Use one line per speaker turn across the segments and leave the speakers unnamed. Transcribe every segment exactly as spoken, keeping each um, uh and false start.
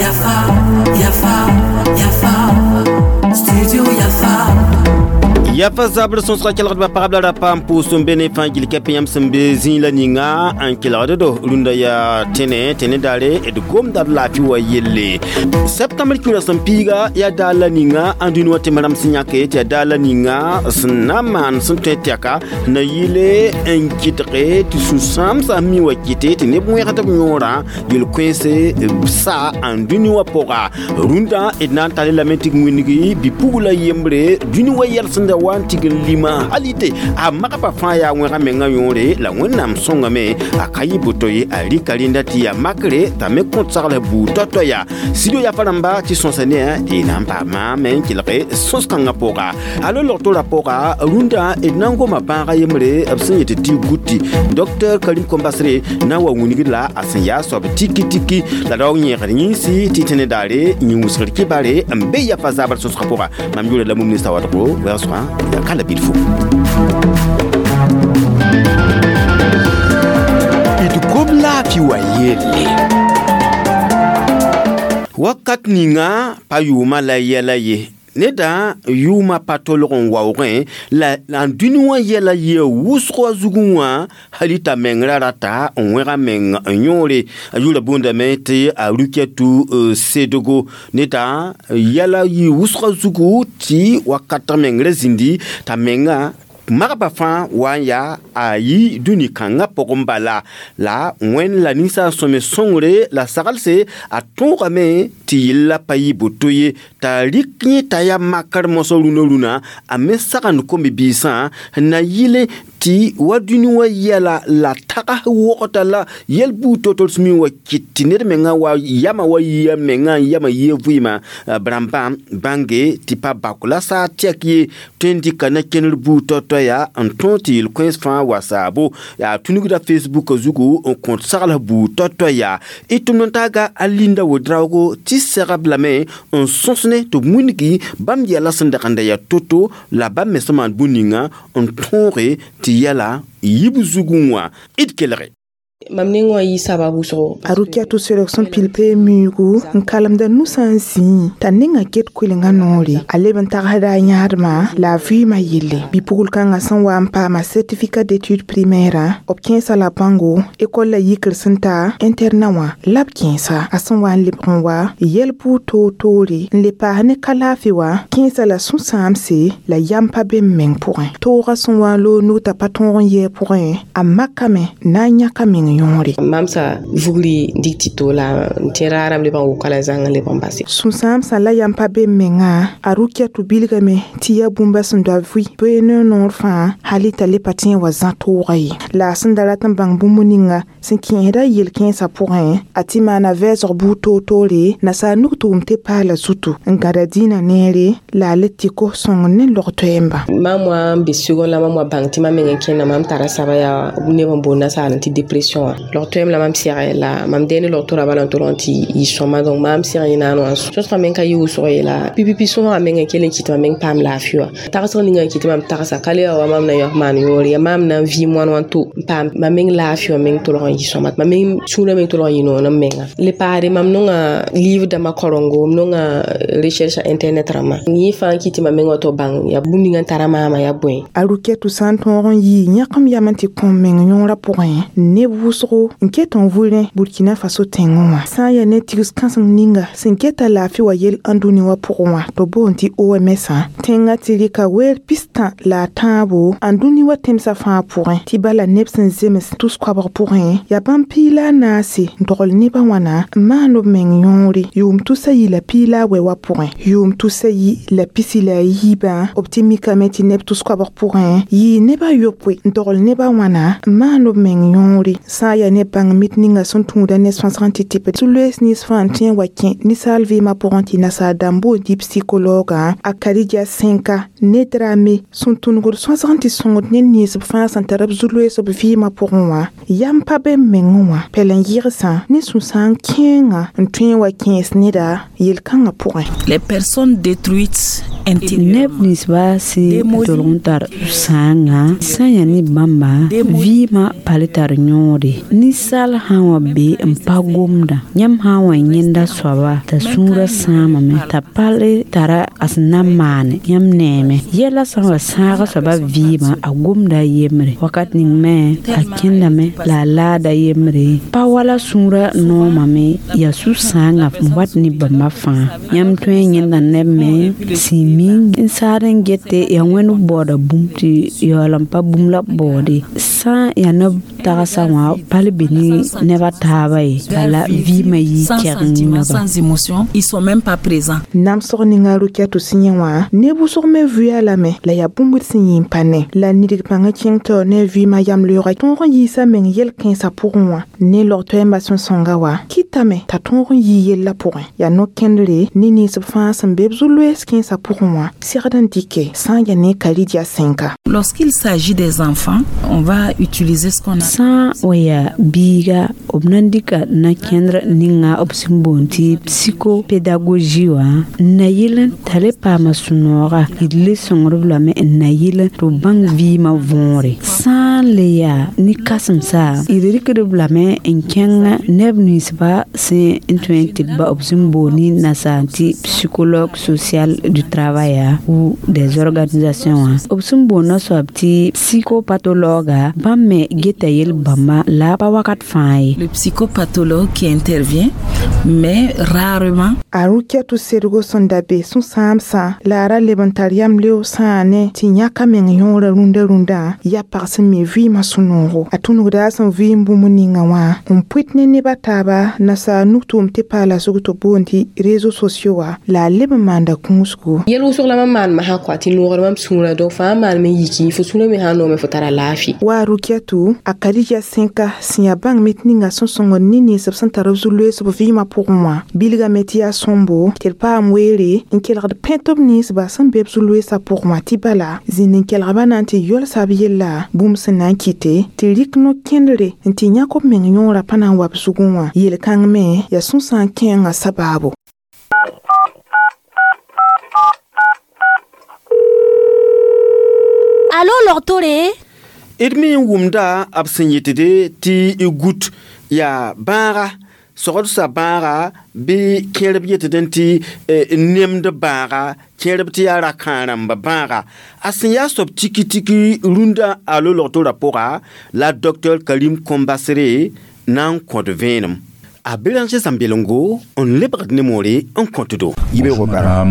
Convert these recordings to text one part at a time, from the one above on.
Yafa, Yafa, Yafa, Studio Yafa.
Yafa zabr sõsga kelgdbã pagb la rapa n pʋʋs n be ne fãa gil kɛp yãmb sẽn be zĩig la ninga n kelgd do rũndã yaa tẽne tẽne daare d gomda d laafɩ wa yelle septembr kiurã sẽn piiga yaa daar la ninga n dũni wã tɩ rãmb sẽn yãke tɩ yaa daar la ninga sẽn na n maan sẽn tõe tɛka na yɩle n kɩtge tɩ sũ-sãamsã mi wa kɩte tɩ neb wẽgd b yõorã yel-kõense sa n dũni wã pʋga rũndã d na n tar lame tɩ wĩngi bi-pugla yembre dũni wa yɛl sẽn da wa n tig n lima halite a magba fãa yaa wẽga menga yõore la wẽnnaam sõngame a ka yɩ boto ye a rɩka rẽnda tɩ yaa makre t'a me kõt sagl buud tɔ-tɔ yaa studio yafa rãmba tɩ sõsa ne d na n paama me n kelge sõs-kãngã pʋga alo log-tora pʋga rũndã d na n goma bãaga yembre b sẽn yet tɩ guti docteur Karim Kombasre na n wa wingd la a sẽn yaa soab tiki tiki la raoog yẽegd yĩnsi tɩ tẽne daare yĩn-wʋsgr kibare n be yafa zabr sõsgã pʋga mam yʋʋra la mum ninsa wadgo wɛɛg ya kala bilfo
d gom laafɩ wa yelle
wakat ninga pa yʋʋma la yɛla ye neda yʋʋma pa tolg n waoogẽ la n dũni wã yɛla yɩa wʋsg wã zugẽ wã hali t'a meng ra rata n wẽga meng n yõore a yʋʋra boondame tɩ a Rukiatu Sedogo neda yɛla yɩ wʋsgã zugu tɩ wakat meng ra zĩndi t'a menga magba fãa wa n yaa a yi dũni kãngã pʋgẽ bala la wẽnd la ninsaal sõme sõngre la saglse a tõogame tɩ yella pa yɩ boto ye t'a rɩk yẽ t'a yaa makr mosã rũnã rũnã a me sagend kom-biisã na yɩle tɩ wa dũni wã yɛla la tags wogta la yɛl buud to-to mi wa kɩt tɩ ned mengã wa yama wa yia mengã n yama yia vɩɩmã b rãmbã bãnge tɩ pa bak la saa tɛk ye tõe n dɩka na kẽner buud tɔ-tɔ yaa n tõog tɩ yel-kõens fãa wa saabo yaa tũnugda Facebook zugu n kõt sagl buud tɔ-tɔ yaa y tʋmd n taaga a Linda Wedraogo tɩ segb lame n sõs ne tɩ b wĩngi bãmb yɛla sẽn dag n da yaa to-to la bãmb me sẽn maan bũn-ninga n tõoge tɩ yɛla yib zugẽ wã d kelge
mam neng wã yɩ sabab wʋsgo
a Rukiatu Sedg sẽn pil pee miuugu n kalemda nusã n zĩẽ t'a ninga ket koelenga noore a leb n tagsda a yãadmã la a vɩɩmã yelle bi-pugl kãngã sẽn wa n paama certificat d'études primaire b kẽesa la bãngo école la yikr sẽn ta internat wã la b kẽesa a sẽn wa n lebg n wa yɛl buud toor-toore n le paas ne ka laafɩ wã kẽesa la sũ-sãamse la yam pa be m meng pʋgẽ toogã sẽn wa n loog nug t'a pa tõog n yɛɛ pʋgẽ a makame na n yãka meng yõore
mam sa vugri dik tɩ to la n tẽ raarame leb n woka la zãng n leb n base
sũ-sãamsã la yam pa be m mengã a Rukiatu bilgame tɩ yaa bũmba sẽn doa vɩ bee ne noor fãa hali t'a le pa tẽ n wa zã toogã ye la a sẽn da rat n bãng bũmb ninga sẽn kẽesda yel-kẽensã pʋgẽ a tɩ maana vɛɛsg buud toor-toore nasaar nug tʋʋm tɩ paala zutu n gãda dĩinã neere la a le tɩ kos sõng ne log-toɛɛmba
mam wã n be segon la mam wa bãng tɩ mam meng n kẽnda mam tara saba yaa neb n boond nasaar tɩ dépression wã log-toɛɛm la mam sɛgɛ la mam dɛɛ ne log-tora bala n tolg n tɩ yɩ sõma donc mam sɛg yẽ naan wã sõsgã meng ka yɩ wʋsg ye la pipipi sõsgã meng n kell n kɩt mam meng paam laafɩ wã tagsg ninga n kɩt mam tagsa ka le wa mam na yõk maan yõor ya mam na n vɩɩm wãn wã to n paam mam meng laafɩ wã meng tolg n yɩ sõma mam meng sũurã meng tolg n yɩ noon n menga le paade mam nonga livre dãmbã korengo m nonga recherche internet rãmbã yẽ fãa n kɩt tɩ mam meng wa to bãng yaa bũmb ninga n tara maama yaa bõe
a Rukiatu sã n tõog n yɩ yãkem yam n tɩ kõ meng yõorã pʋgẽ neb wʋsgo n ket n vʋrẽ Burkina Faso tẽngẽ wã sã n yaa ne tigs kãseng ninga sẽn keta laafɩ wa yel n dũni wã pʋgẽ wã tɩ boond tɩ O M S tẽngã tɩ rɩka weer pistã la a tãabo n dũni wã tẽmsã fãa pʋgẽ tɩ bala neb sẽn zems tus-koabg pʋgẽ yaa bãmb piig la a naase n dogl nebã wãna n maan b meng yõore yʋʋm tusa yi la piig la a wɛ wã pʋgẽ yʋʋm tusa yi la pisi la a yiibã b tɩ mikame tɩ neb tus-koabg pʋgẽ yɩɩ neb a yopoe n dogl nebã wãna n maan b meng yõore sã n yaa ne bãng mit ninga sẽn tũuda ne sõsg n tɩ tɩp tɩ-loees nins fãa n tõe n wa kẽ ninsaal vɩɩmã pʋgẽ tɩ nasaar dãmb boond tɩ psychologue a Karidia Senka ne drame sẽn tũnugd sõsg n tɩ sõngd ned nins b fãa sẽn tar b zu-loees b vɩɩmã pʋgẽ wã yam pa be m mengẽ wã pɛlen-yɩgsã ne sũ-sãam kẽengã n tõe n wa kẽes neda yel-kãngã pʋgẽ
Les personnes détruites
neb ninsba sẽn tolg n tar sãanga sã n yaa ne bãmba vɩɩmã pa le tar yõore be ninsaal sã n wa be n pa gomda yãmb sã n wa yẽnda soaba t'a sũurã sãamame t'a pa le tara a sẽn na n maane yãmb neeme yɛla sã n wa sãaga soaba vɩɩmã a gomda a yembre wakat ning me a kẽndame la a laada yembre pa wala sũurã noomame yaa sũ-sãangã n wat ne bãmba fãa yãmb tõe n yẽnda neb me sẽn mi n saad n gete yaa wẽnd baooda bũmb tɩ yaool n pa bũmb la b baoode sã n yaa neb tagsã wã pa le be ne neb a taaba ye bala vɩɩmã yɩ
Sans
kɛgeng
sentiments,
neba
sans émotion, ils sont même pas présents.
Namsg ninga Rokiatou sẽn yẽ wã neb wʋsg me vʋya lame la yaa bũmb d sẽn yɩ n pa ne la nidg pãngã kẽng taoor ne a vɩɩmã yam-leoogã tõog n yiisa meng yel-kãensã pʋgẽ wã ne log-toɛɛmbã sẽn sõnga wa kɩtame t'a tõog n yɩ yellã pʋgẽ yaa no-kẽndre ne ninsb fãa sẽn be b zu-loees kẽensã pʋgẽ wã segd n dɩke sã n yaa ne Karidia sẽnka.
Lorsqu'il s'agit des enfants, on va utiliser ce qu'on a.
Sã n wa yaa biiga b na n dɩka na-kẽndr ninga b sẽn boond tɩ psychopédagogie wã n na yɩl n t'a le paama sũ-nooga d le sõngd-b lame n na yɩl tɩ b bãng vɩɩmã võore sã n le yaa ne kãsemsa d rɩkd-b lame n kẽng neb ninsba sẽn n tõe n tɩ b ba b sẽn boond ne nasaar tɩ psychologue social du travail ou des organisations wã b sẽn boondã soab tɩ psychopathologue bãmb me geta yel-bãmba la pa wakat fãa ye.
Le psychopathologue qui intervient, mais rarement.
A Rokiatou sedgo sẽn da be sũ-sãamsã la a ra leb n tar yam leoog sãa ne tɩ yãka meng yõorã rũndã rũndã yaa pag sẽn mi vɩɩmã sũ-noogo a tũnugda a sẽn vɩɩm bũmb ninga wã n pʋɩt ne neb a taaba nasaar nugtʋʋm tɩ paala zug tɩ boond tɩ réseaux sociaux wã la a leb n maanda kũusgo.
Yɛl wʋsg la mam maan masã kɔa tɩ noogr mam sũurã donc fãa maan me yiki fo sũurã me sã n noome fo tara laafɩ.
Wa Rokiatou a Karidia sẽnka sẽn yaa bãng met ninga sẽn sõngd ne ninsb sẽn tar b zu-loees b vɩɩmã pʋgẽ wã bilgame tɩ yaa sõmbo tɩ d paam weere n kelgd pẽ tɩ b ninsba sẽn be b zu-loeesã pʋgẽ wã tɩ bala zĩnd n kelgba na n tɩ yolsa b yella bũmb sẽn na n kɩte tɩ rɩk no-kẽndre n tɩ yãk b meng yõorã pa na n wa b zugẽ wã yel-kãng me yaa sũ-sãam kẽengã sabaabo.
Alo logtore.
D me n wʋmda b sẽn yetde tɩ y gut yaa bãaga sogdsa bãaga bɩ kẽerb yetd n tɩ nemd bãaga kẽerb tɩ yaa ra-kãa-rãmba bãaga a sẽn yaa soab tiki-tiki rũndã alo logtorã pʋga la docteur Karim Kombasere na n kõt vẽenem a Béranger Zãmbelengo n lebgd ne moore n kõtdo.
Yibeogo bara.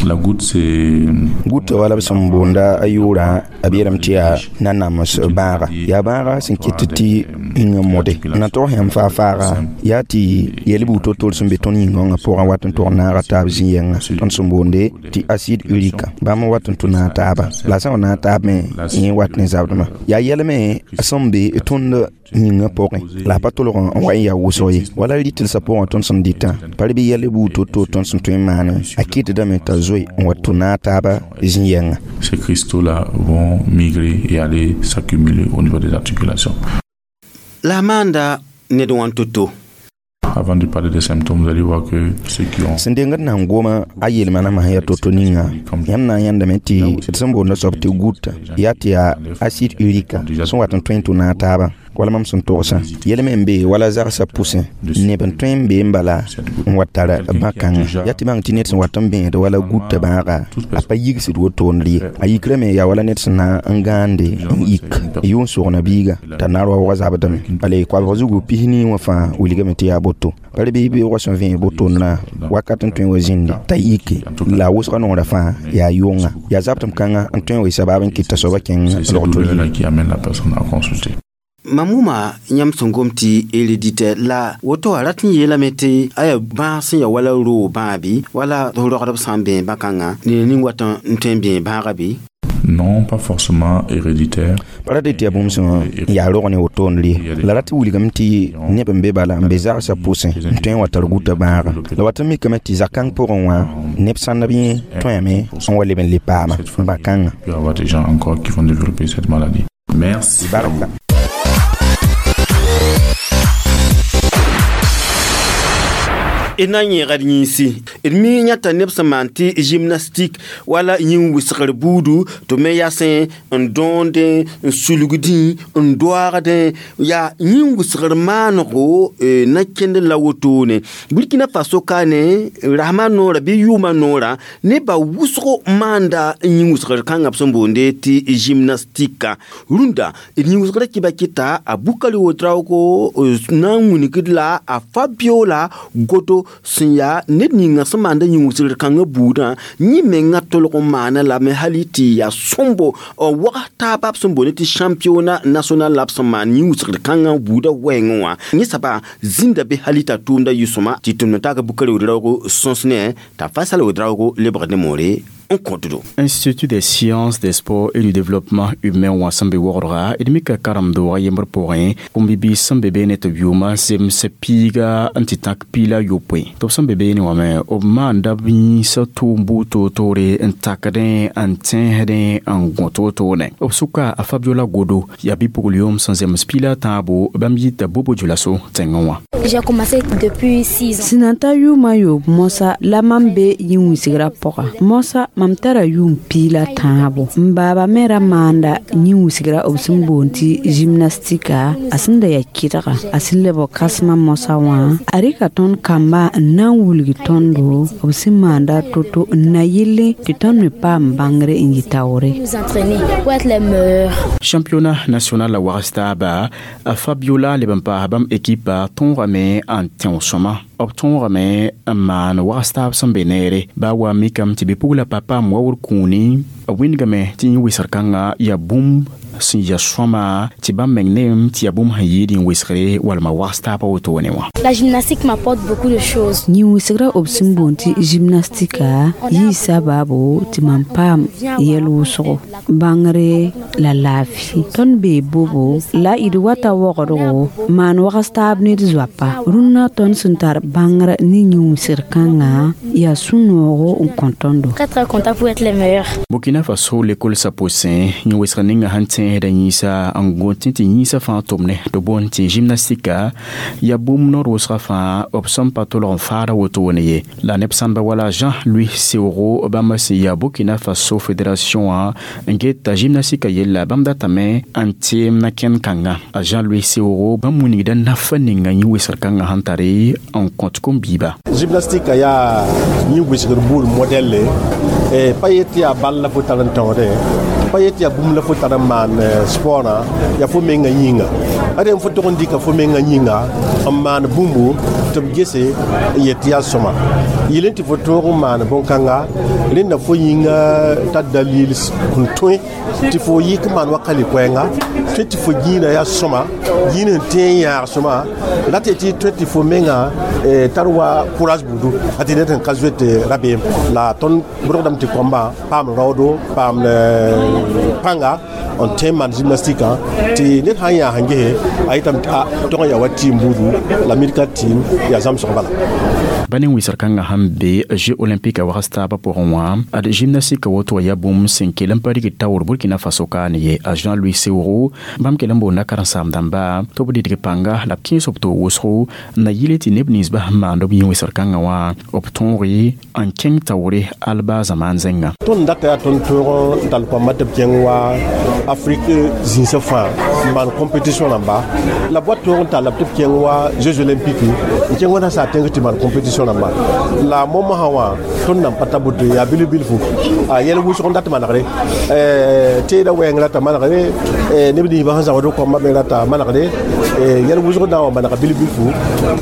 La goutte, c'est
Goutte wala b sẽn boonda a yʋʋrã b yeelame tɩ yaa nanams bãaga yaa bãaga sẽn ket tɩ yĩngã mode n na tog yãmb faa-faaga yaa tɩ yɛl buud to-tor sẽn be tõnd yĩngõngã pʋgã wat n tog naaga taab zĩ-yɛngã tõnd sẽn boonde tɩ acide urique bãmb n wat n tʋ naag taaba la sã n wa naag taab me yẽ wat ne zabdmã yaa yɛlme sẽn be tõnd yĩngã pʋgẽ la a pa tolg n wa n yaa wʋsg ye wala rɩtelsã pʋgẽ tõnd sẽn dɩtã pa bɩ yɛl buud to-to tõnd sẽn tõe n maane a kɩtdame t'a zoe n wa tʋ naag taaba zĩ-yɛngã.
Ces cristaux-là vont migrer et aller s'accumuler au niveau des articulations.
La maanda ned wã to-to.
Avant de parler des symptômes, vous allez voir que ceux qui ont
sẽn dengd na n goma a yelmanamã sẽn yaa to-to ninga yãmb na n yãndame tɩ d sẽn boonda soab tɩ goutte yaa tɩ yaa acide urique sẽn wat n tõe n tʋ naag taabã wala mam sẽn togsã yɛl me n be wala zagsã pʋsẽ neb n tõe n be n bala n wa tar bã-kãngã yaa tɩ bãng tɩ ned sẽn wat n bẽed wala goutte bãaga a pa yigsd wotond ye a yikrame yaa wala ned sẽn na n gãande n yik yʋ n sogna biiga t'a nar waoogã zabdame bala koabg zugu pis-nii wã fãa wilgame tɩ yaa boto bara bɩ beoogã sẽn vẽeg botondrã wakat n tõe n wa zĩndi t'a yike la a wʋsga noorã fãa yaa yʋnga yaa zabtem kãngã n tõe n wa sabaab n kɩt t'a soabã kẽng
c'est cette
logto
douleur-là qui amène la personne à consulter.
Mam wʋma yãmb sẽn gom tɩ héréditaire la woto a rat n yeelame tɩ aya bãag sẽn ya wala roog bãag bɩ wala rogdb sã n bẽe bã-kãngã ned ning wat n tõe n bẽe bãaga bɩ?
Non, pas forcément héréditaire.
Pa ra tɩ yaa bũmb sẽn yaa rog ne wotond ye la rat wilgame tɩ neb n be bala n be zagsã pʋsẽ n tõe n wa tar gũta bãaga la wat n mikame tɩ zakãng pʋgẽ wã neb sãndb yẽ tõeme n wa leb n le paama bã-kãngã.
Il peut y avoir des gens encore qui vont développer cette maladie. Merci.
Barka.
D na n yẽgd yĩnsi d mi yãta neb sẽn maan tɩ gymnastique wala yĩn-wɩsgr buudu tɩ me yasẽ n dõondẽ n sulgdẽ n doaagdẽ yaa yĩn-wɩsgr maanego na kẽnd la wotone Burkina Faso ka ne rasmã noorã bɩ yʋʋmã noorã nebã wʋsgo maanda yĩn-wɩsgr kãngã b sẽn boonde tɩ gymnastique rũndã d yĩn-wɩsgrã kɩba kɩta a Bukari Ouedraogo na n wilgd la a Fabiola Godo sẽn yaa ned ninga sẽn maanda yĩn-wɩsgr kãngã buudã yẽ menga tolg n maana lame hali tɩ yaa sõmbo n wags taaba b sẽn boond tɩ championnat national la b sẽn maan yĩn-wɩsgr kãngã buudã wɛɛngẽ wã yẽ soaba zĩnda be hali t'a tʋʋmda yɩ-sõma tɩ tʋmd taaka Bukari Ouedraogo sõs ne t'a Faisal Ouedraogo lebgd ne moore.
Institut des sciences, des sports et du développement humain wã sẽn be wogdga d mika karem-doogã yembr pʋgẽ kũm-bibiis sẽn be beene tɩ b yʋʋmã zems piiga n tɩ tãk piila yopoe tɩ b sẽn be beene wã me b maanda b yĩnsã tʋʋm buud toor-toore n takdẽ n tẽesdẽ n gõ toor-toorne b sʋka a Fabiola Godo yaa bɩ-pugl-yʋʋm sẽn zems piila a tãabo bãmb yita Bobo Dioulasso tẽngẽ wã.
J'ai commencé depuis six ans.
Sẽn na ta yʋʋmã yoob moasã la mam be yĩn-wɩsgrã pʋga moasã mam tara yʋʋm piila tãabo n baaba me ra maanda yĩn-wɩsgrã b sẽn boond tɩ gymnastika a sẽn da yaa kɩdga a sẽn lebg kãsmã moasã wã a rɩka tõnd kamba n na n wilg tõndo b sẽn maanda to-to n na yelle tɩ tõnd me paam bãngre n yɩ taoore.
Nous entraîner pour être les meilleurs.
Championnat national la wags taaba a Fabiola leb n paas bãmb ekipa tõogame n tẽo sõma b tõogame n maan wags taab sẽn be neere baa wa mikame tɩ bɩ-pugla pa paam waoor kũuni b wĩndgame tɩ yĩn-wɩsgr kãngã yaa bũmb sẽn ya sõma tɩ bãmb meng neem tɩ yaa bũmb sẽn yɩɩd yĩn-wɩsgre walma wags taabã wotone wã.
La gymnastique m'apporte beaucoup de choses.
Yĩn-wɩsgrã b sẽn boond tɩ gymnastika yɩɩ sabaabo tɩ mam paam yɛl wʋsgo bãngre la laafɩ tõnd bee bobo la d wata wogdgo maan wags taab ne d zoapa rũnnã tõnd sẽn tar bãngrã ne yĩn-wɩsgr kãngã yaa sũ-noogo n kõ tõndo.
Très très content pour être les meilleurs.
Burkina Faso l'école Saposin yĩn-wɩsgr ninga sẽn tẽesda yĩnsa n gõtẽ tɩ yĩnsã fãa tʋmne tɩ boond tɩ gymnastika yaa bũmb noor wʋsgã fãa b sẽn pa tolg n faada wotone ye la neb sãnba wala Jean-Louis Seoro bãmb sẽn yaa Burkina Faso fédération wã n geta gymnastika yella bãmb datame n teem na kẽnd kãnga a Jean-Louis Seoro bãmb wilgda nafa ninga yĩn-wɩsgr kãngã sẽn tare n kõt kom-biiba.
Gymnastique yaa yĩn-wɩsgr buud modɛlle pa yet yaa bal la fo tar n taoodẽ pa yet yaa bũmb la fo tar n maan sportã yaa fo menga yĩnga ade fo tog n dɩka fo menga yĩnga n maan bũmbu tɩ b gese n yet tɩ yaa sõma yɩl n tɩ fo toog n maan bõn-kãnga rẽnda fo yĩnga tar dalil n tõe tɩ fo yɩk n maan wa ka koɛɛnga tõe tɩ fo gĩinã yaa sõma gĩin sẽn tẽ n yãag sõma rate tɩ tõe tɩ fo menga tar wa courage budu a tɩ ned sẽn ka zoet rabeem la tõnd bʋrgdame tɩ kõmba paam raoodo paam pãnga n tõe n maan gymnastique tɩ ned sã n yaa sẽn gese a yetame tɩ a tog n yaa wa tɩɩm buudu la mid ka tɩɩm yaa zãmsg bala.
Ba ne wɩsgr kãngã sẽn be Jeux olympiques wags taabã pʋgẽ wã ad gymnastique woto yaa bũmb sẽn kell n pa rigd taoor Burkina Faso kaane ye a Jean-Louis Seoro bãmb kell n boonda karen-saam-dãmba tɩ b dɩdg pãnga la b kẽes b toog wʋsgo n na yɩle tɩ neb ninsbã sẽn maand b yĩn-wɩsgr kãngã wã b tõoge n kẽng taoore alba zamaan zẽnga.
Tõnd data yaa tõnd tõog n tall kõamba tɩ b kẽng wa Afrique zĩnsã fãa n maan compétition rãmba la b wa tõog n talla tɩ b kẽng wa Jeux olympiques n kẽng wa nasaar tẽng tɩ maan compétition rãmba la momsã wã tõnd nan pa ta buto yaa bilf-bilfu a yɛl wʋsg n dat manegre teeda wɛɛng rata manegre neb ninsbã sẽn zãbd kõamba me rata manegre yɛl wʋsg na n wa manega bilf-bilfu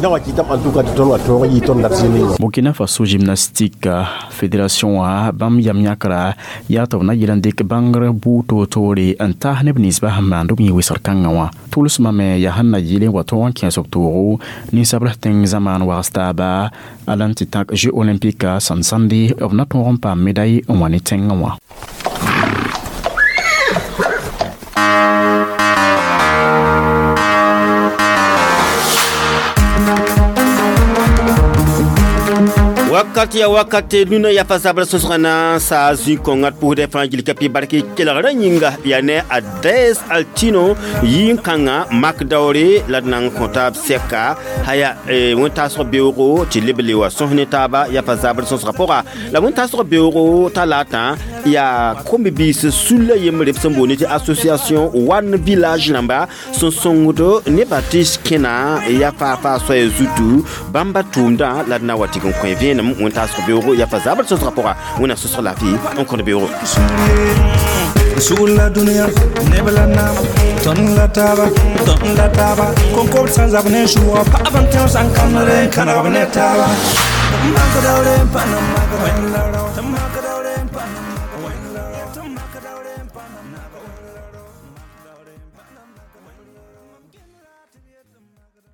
na wa kɩtame en tout cas tɩ tõnd wa tõog n yɩ tõnd dat zĩ ninga.
Burkina Faso gymnastique fédération wã bãmb yam yãkra yaa tɩ b na yɩl n dɩk bãngr buud toor-toore n taas neb ninsbã sẽn maand b yĩn-wɩsgr kãngã wã tʋlsmã me yaa sẽn na yɩl n wa tõog n kẽes b toogo ninsabl tẽng zamaan wags taaba ala n tɩ tãk Jeux olympiques sẽn sãnde b na tõog n paam médaille n wa ne tẽngã wã.
Wakat ya wakate nuna ya fa zabra sõsgã na n saa zĩ-kõngã d pʋʋsdã fãa gil ka pɩ bark kelgrã yĩnga yaa ne a Des Altino yĩn-kãngã mak daoore la d na n kõ taab sɛka haya wẽn-taasg beoogo tɩ leb le wa sõs ne taaba ya fa zabr sõsgã pʋga la wẽn-taasg beoogo talaatã yaa kom-biis sulla yembre b sẽn boond tɩ association One Village rãmba sẽn sõngd nebã tɩ kẽna ya faa-faa soaya zutu bãmba tʋʋmdã la d na wa tɩg n kõ vẽenem wẽn-taasg beoogo ya fa zabr sõsgã pʋga wẽnnaam sõsg laafɩ n kõd beoogo.
Sugr la dũniyã neb la naam tõnd la taaba tõnd la taaba koŋkob sã n zab ne sʋʋga pagb n tẽo sã n kãnegre n kãneg b ne taaba mak daoore n pa na mak wẽnd la rao tɩ mak daoore n pa na mak wẽnd la rao tɩ mak daoore.